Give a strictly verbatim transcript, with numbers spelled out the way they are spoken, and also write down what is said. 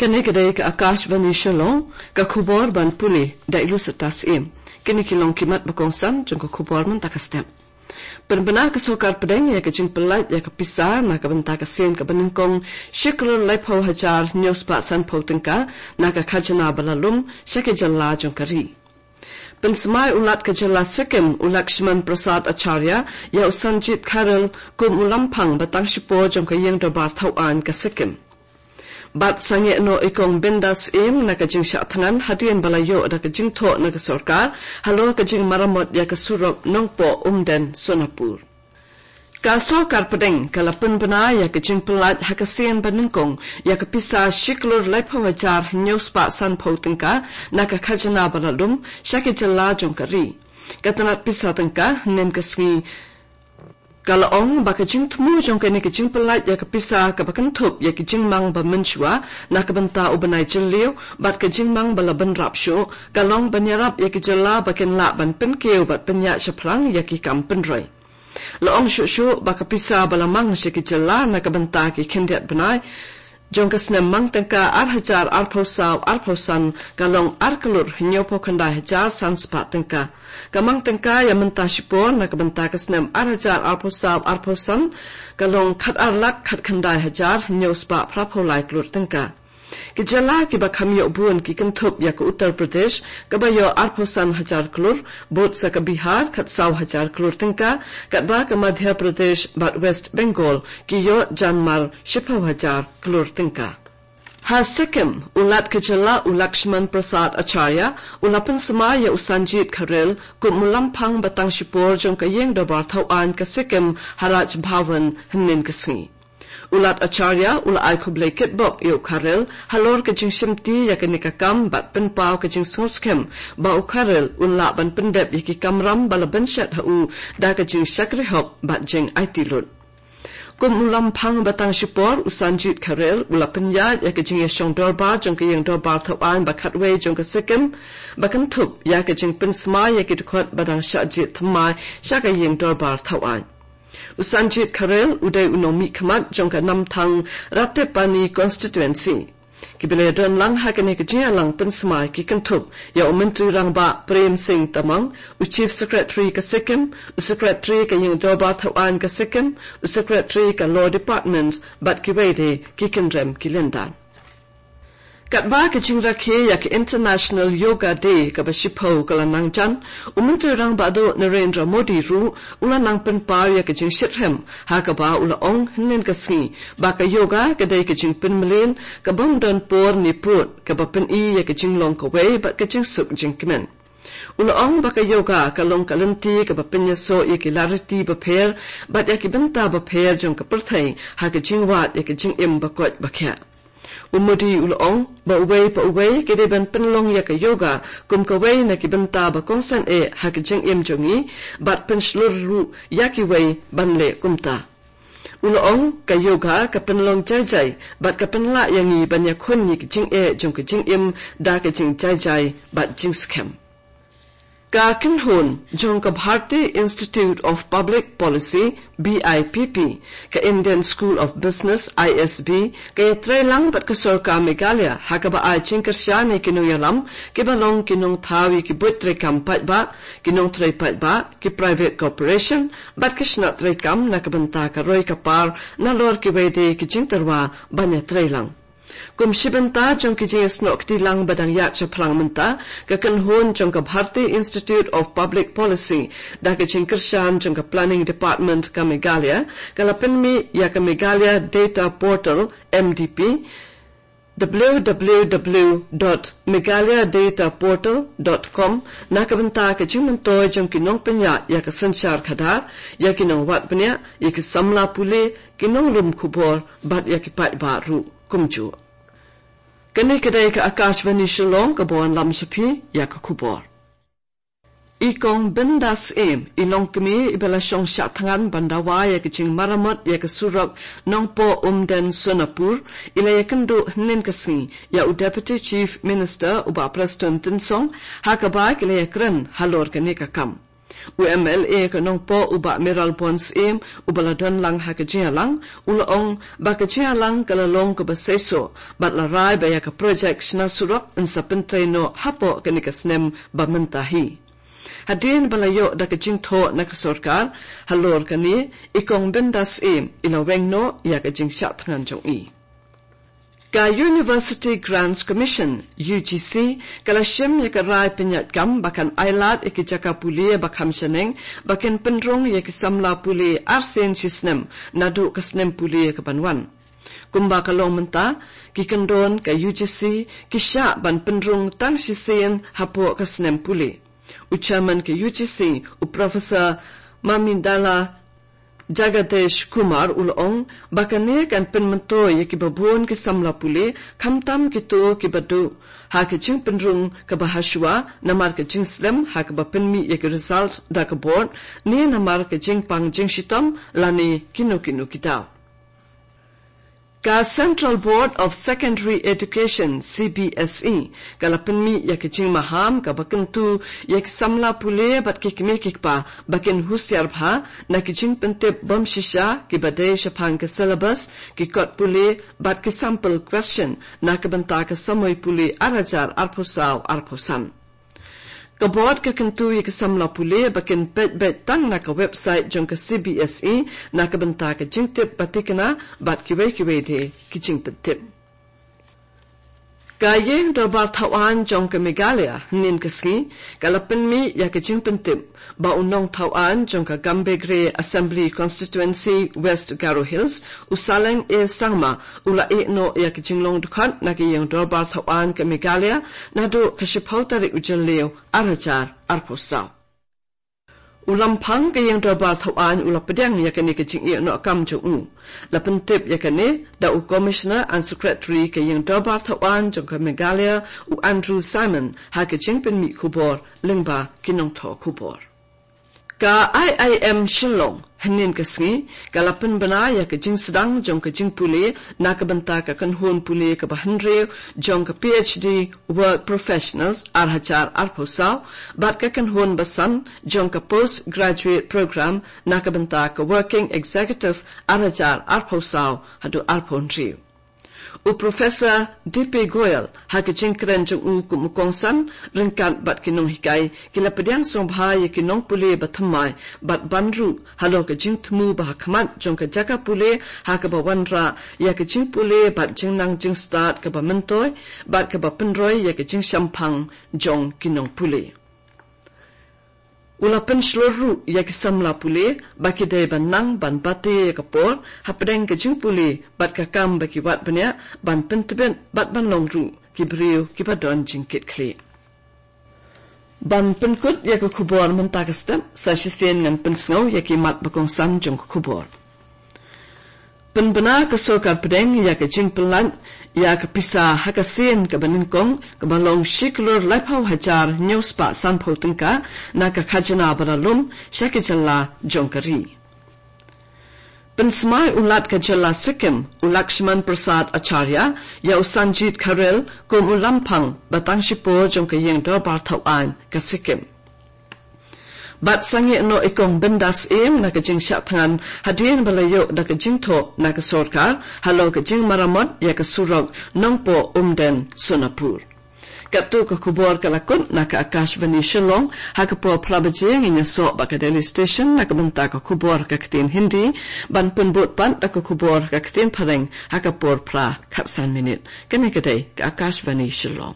Kane ka dei ka Akashvani Shillong, ka khubor ban pule da i Lucetta Syiem. Kine ki long ki mat ba kongsan jong ka khubor mynta ka step. Pynbna ka sorkar pdeng ïa ka jingpyllait ïa ka pisa na ka bynta ka sien kaba nyngkong shi klur laiphew hajar hynñiew spah sanphew tyngka na ka khajna ba la lum sha ki jylla jong ka ri. Pynsmai u Lat ka jylla Sikkim u Lakshman Prasad Acharya ïa u Sanjit Kharel kum u lamphang ba tang shipor jong ka ïing dorbar thaw aiñ ka Sikkim. Bad sangeh noh i Kong Bindas Syiem na ka jingshah thngan hadien ba la ïoh da ka jingthoh na ka sorkar halor ka jingmaramot ïa ka surok Nongpoh Umden Sonapur. Ka sorkar pdeng ka la pynbna ïa ka jingpyllait ha ka sien ba nyngkong ïa ka pisa shi klur laiphew hajar hynñiew spah sanphew tyngka na ka khajna ba la lum sha ki jylla jong ka ri. Ka tnat pisa tyngka hynnin ka sngi ka la ong ba ka jingthmu jong kane ka jingpyllait ïa ka pisa kaba kynthup ïa ki jingmang ba mynshuwa na ka bynta u bnai jylliew bad ka jingmang ba la bynrap shuh ka long ban ïarap ïa ki jylla ba kin lah ban pynkiew bad pynïaid shaphrang ïa ki kam pynroi. La ong shuh shuh ba ka pisa ba la mang sha ki jylla na ka bynta ki khyndiat bnai jong ka snem mang tyngka ar hajar arphew saw arphew san ka long ar klur hynñiewphew khyndai hajar san spah tyngka. Ka mang tyngka ïa mynta shipor na ka bynta ka snem ar hajar arphew saw arphew san ka long khat ar lak khat khyndai hajar hynñiew spah phraphew lai klur tyngka. Ki jylla kiba kham ïoh bun ki kynthup ïa ka Uttar Pradesh kaba ïoh arphew san hajar klur, bud sa ka Bihar khat saw hajar klur tyngka, katba ka Madhya Pradesh bad West Bengal ki ïoh janmar shiphew hajar klur tyngka. Ha Sikkim, u Lat ka jylla u Lakshman Prasad Acharya u la pynsmai ïa u Sanjit Kharel kum u lamphang ba tang shipor jong ka ïing dorbar thaw aiñ ka Sikkim ha Raj Bhavan hynnin ka sngi. U Lat Acharya u la ai khublei kitbok ïa u Kharel halor ka jingshimti ïa kane ka kam bad pynpaw ka jingsngewskhem ba u Kharel un lah ban pyndep ïa ki kamram ba la bynshet ha u da ka jingshakri hok bad jingaiti lut. Kum u lamphang ba tang shipor u Sanjit Kharel u la pynïaid ïa ka jingïashong dorbar jong ka ïing dorbar thaw aiñ ba khatwei jong ka Sikkim ba kynthup ïa ka jingpynsmai ïa ki dkhot ba dang shah jied thymmai sha ka ïing dorbar thaw aiñ. U Sanjit Kharel u dei u nongmihkhmat jong ka Namthang Ratepani constituency. Kiba la ïadon lang ha kane ka jingïalang pynsmai ki kynthup ïa u Myntri Rangbah Prem Singh Tamang, u Chief Secretary ka Sikkim, u Secretary ka ïing dorbar thaw aiñ ka Sikkim, u Secretary ka Law Department bad kiwei de ki kynrem ki lyndan. Katba ka jingrakhe ïa ka International Yoga Day kaba shiphew ka la nang jan, u Myntri Rangbah Duh Narendra Modi ruh u la nang pynpaw ïa ka jingshitrhem ha kaba u la ong hynnin ka sngi ba ka yoga ka dei ka jingpynmlien ka bym don por ne pud kaba pyni ïa ka jinglong kawei bad ka jingsuk jingkmen. U la ong ba ka yoga ka long ka lynti kaba pynïasoh ïa ki lariti bapher bad ïa ki bynta bapher jong ka pyrthei ha ka jingwad ïa ka jingim ba koit ba khiah. U Modi u la ong ba uwei pa uwei ki dei ban pynlong ïa ka yoga kum kawei na ki bynta ba kongsan eh ha ka jingim jong ngi bad pynshlur ruh ïa kiwei ban leh kumta. U la ong ka yoga ka pynlong jai jai bad ka pynlah ïa ngi ban ïakhun ïa ka jingeh jong ka jingim da ka jingjai jai bad jingskhem. Ka kynhun jong ka Bharati Institute of Public Policy, B I P P, ka Indian School of Business, I S B, ka ïatreilang bad ka sorkar Meghalaya ha kaba ai jingkyrshan ïa ki nongïalam kiba long ki nongthaw ïa ki buit treikam paidbah, ki nongtrei paidbah, ki private corporation bad ki shnat treikam na ka bynta ka roi ka par nalor kiwei de ki jingtyrwa ban ïatreilang. Kum shi bynta jong ki jingïasnoh kti lang ba dang ïaid shaphrang mynta, ka kynhun jong ka Bharati Institute of Public Policy da ka jingkyrshan jong ka Planning Department ka Meghalaya ka la pynmih ïa ka Meghalaya Data Portal, M D P, w w w dot meghalaya data portal dot com, na ka bynta ka jingmyntoi jong ki nongpynïaid ïa ka synshar khadar, ïa ki nongwad bniah, ïa ki samla pule, ki nonglum khubor bad ïa ki paidbah ruh kumjuh. Kane ka dei ka Akashvani Shillong kaba wanlam sha phi ïa ka khubor. I Kong Bindas Syiem, i longkmie iba la shong shah thngan ban dawa ïa ka jingmaramot ïa ka surok Nongpoh Umden Sonapur, i la ïakynduh hynnin ka sngi ïa u Deputy Chief Minister u Bah Prestone Tynsong, ha kaba ki la ïakren halor kane ka kam. U M L A ka Nongpoh u Bah Mayralborn Syiem, uba la don lang ha ka jingïalang, u la ong ba ka jingïalang ka la long kaba seisoh, bad la rai ba ïa ka projek shna surok yn sa pyntrei noh hapoh kane ka snem ba mynta hi. Hadien ba la ïoh da ka jingthoh na ka sorkar halor kane, i Kong Bindas Syiem i la weng noh ïa ka jingshah thngan jong i. Ka University Grants Commission, U G C, ka la shim ïa ka rai pynïaid kam ba kan ailad ïa ki jaka pule ba kham shaneng ba kin pynrung ïa ki samla pule arsien shisnem naduh ka snem pule ka ban wan. Kumba ka long mynta, ki kyndon ka U G C ki shah ban pynrung tang shisien hapoh ka snem pule. U Chairman ka U G C, u Professor Mamidala Jagadesh Kumar u la ong ba kane kan pynmyntoi ïa kiba bun ki samla pule, khamtam kito kiba duh ha ka jingpynrung kaba hashwa namar ka jingslem ha kaba pynmih ïa ki result da ka board, ne namar ka jingpang jingshitom lane kino kino ki daw. Ka Central Board of Secondary Education, C B S E, ka la pynmih ïa ka jingmaham kaba kyntu ïa ki samla pule bad ki kmie ki kpa ba kin husiar bha na ki jingpyntip bym shisha kiba dei shaphang ka syllabus, ki kot pule bad ki sample question na ka bynta ka samoi pule ar hajar arphew saw arphew san. Ka board ka kyntu ïa ki samla pule ba kin peit beit tang na ka website jong ka C B S E na ka bynta ka jingtip ba thikna bad kiwei kiwei de ki jingpyntip. Ka Ïing Dorbar Thawaiñ jong ka Meghalaya, hynnin ka sngi, ka la pynmih ïa ka jingpyntip ba u nongthawaiñ jong ka Gambegre Assembly Constituency, West Garo Hills, u Saleng A Sangma, u la ïeh noh ïa ka jinglong dkhot na ka Ïing Dorbar Thawaiñ ka Meghalaya naduh ka shiphew tarik u Jylliew ar hajar arphew saw. U Lamphang ka Ïing Dorbar Thawaiñ u la pdiang ïa kane ka jingïeh noh kam jong u. La pyntip ïa kane da u Commissioner and Secretary ka Ïing Dorbar Thawaiñ jong ka Meghalaya, u Andrew Simon, ha ka jingpynmih khubor lyngba ki nongthoh khubor. Ka I I M Shillong, hynnin ka sngi, ka la pynbna ïa ka jingsdang jong ka jingpule na ka bynta ka kynhun pule kaba hynriew jong ka P H D Work Professionals ar hajar arphew saw, bad ka kynhun basan jong ka Postgraduate Program na ka bynta ka Working Executive ar hajar arphew saw haduh arphew hynriew. U Professor D P Goyal, ha ka jingkren jong u kum u kongsan, ryngkat bad ki nonghikai, ki la pdiang sngewbha ïa ki nongpule ba thymmai bad ban ruh halor ka jingthmu ba ha khmat jong ka jaka pule ha kaba wanrah ïa ka jingpule bad jingnang jingstad kaba myntoi bad kaba pynroi ïa ka jingshemphang jong ki nongpule. U la pynshlur ruh ïa ki samla pule ba ki dei ban nang ban bate ïa ka por hapdeng ka jingpule bad ka kam ba ki wad bniah ban pyntbit bad ban long ruh ki briew kiba don jingkitkhlieh. Ban pynkut ïa ka khubor mynta ka step, sa shisien ngan pynsngew ïa ki mat ba kongsan jong ka khubor. Pynbna ka sorkar pdeng ïa ka jingpynlait ïa ka pisa ha ka sien kaba nyngkong kaba long shi klur laiphew hajar hynñiew spah sanphew tyngka na ka khajna ba la lum sha ki jylla jong ka ri. Pynsmai u Lat ka jylla Sikkim, u Lakshman Prasad Acharya, ïa u Sanjit Kharel kum u Lamphang ba tang shipor jong ka Ïing Dorbar Thawaiñ ka Sikkim. Bad sangeh noh i Kong Bindas Syiem na ka jingshah thngan hadien ba la ïoh da ka jingthoh na ka sorkar halor ka jingmaramot ïa ka surok Nongpoh Umden Sonapur. Katto ka khubor ka la kut na ka Akashvani Shillong. Ha ka por phra baje ngin ïasoh bad ka Delhi Station na ka bynta ka khubor ha ka ktien Hindi, ban pynbud pat da ka khubor ha ka ktien Phareng ha ka por phra khatsan minit. Kane ka dei ka Akashvani Shillong.